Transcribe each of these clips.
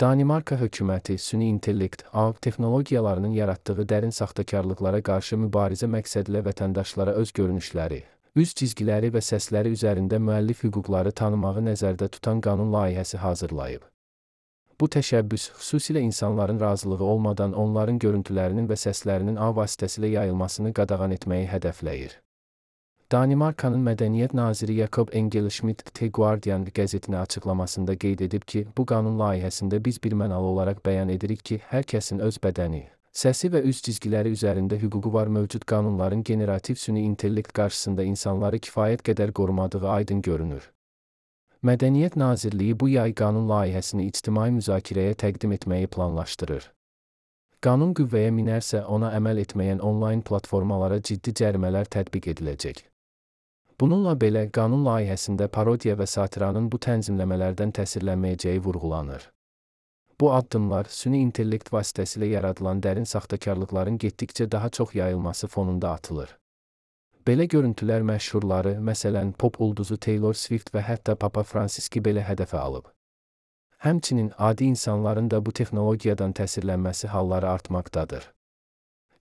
Danimarka hökuməti süni intellekt, ağ texnologiyalarının yaratdığı dərin saxtakarlıqlara qarşı mübarizə məqsədilə vətəndaşlara öz görünüşləri, üz cizgiləri və səsləri üzərində müəllif hüquqları tanımağı nəzərdə tutan qanun layihəsi hazırlayıb. Bu təşəbbüs xüsusilə insanların razılığı olmadan onların görüntülərinin və səslərinin ağ vasitəsilə yayılmasını qadağan etməyi hədəfləyir. Danimarkanın Mədəniyyət naziri Jakob Engel-Schmidt The Guardian qəzetinə açıqlamasında qeyd edib ki, bu qanun layihəsində biz birmənalı olaraq bəyan edirik ki, hər kəsin öz bədəni, səsi və üz cizgiləri üzərində hüququ var. Mövcud qanunların generativ süni intellekt qarşısında insanları kifayət qədər qorumadığı aydın görünür. Mədəniyyət Nazirliyi bu yay qanun layihəsini ictimai müzakirəyə təqdim etməyi planlaşdırır. Qanun qüvvəyə minərsə, ona əməl etməyən onlayn platformalara ciddi cərimələr tətbiq ediləcək. Bununla belə, qanun layihəsində parodiya və satiranın bu tənzimləmələrdən təsirlənməyəcəyi vurğulanır. Bu addımlar süni intellekt vasitəsilə yaradılan dərin saxtakarlıqların getdikcə daha çox yayılması fonunda atılır. Belə görüntülər məşhurları, məsələn, pop ulduzu Taylor Swift və hətta Papa Fransiski belə hədəfə alıb. Həmçinin adi insanların da bu texnologiyadan təsirlənməsi halları artmaqdadır.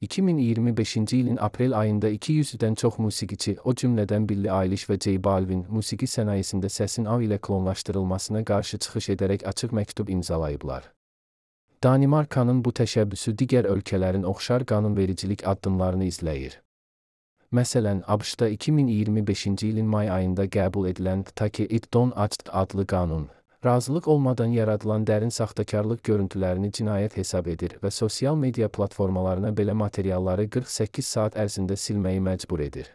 2025-ci ilin aprel ayında 200-dən çox musiqiçi, o cümlədən Billie Eilish və J Balvin, musiqi sənayesində səsin ağ ilə klonlaşdırılmasına qarşı çıxış edərək açıq məktub imzalayıblar. Danimarkanın bu təşəbbüsü digər ölkələrin oxşar qanunvericilik addımlarını izləyir. Məsələn, ABŞ-da 2025-ci ilin may ayında qəbul edilən Take It Down adlı qanun, razılıq olmadan yaradılan dərin saxtakarlıq görüntülərini cinayət hesab edir və sosial media platformalarına belə materialları 48 saat ərzində silməyi məcbur edir.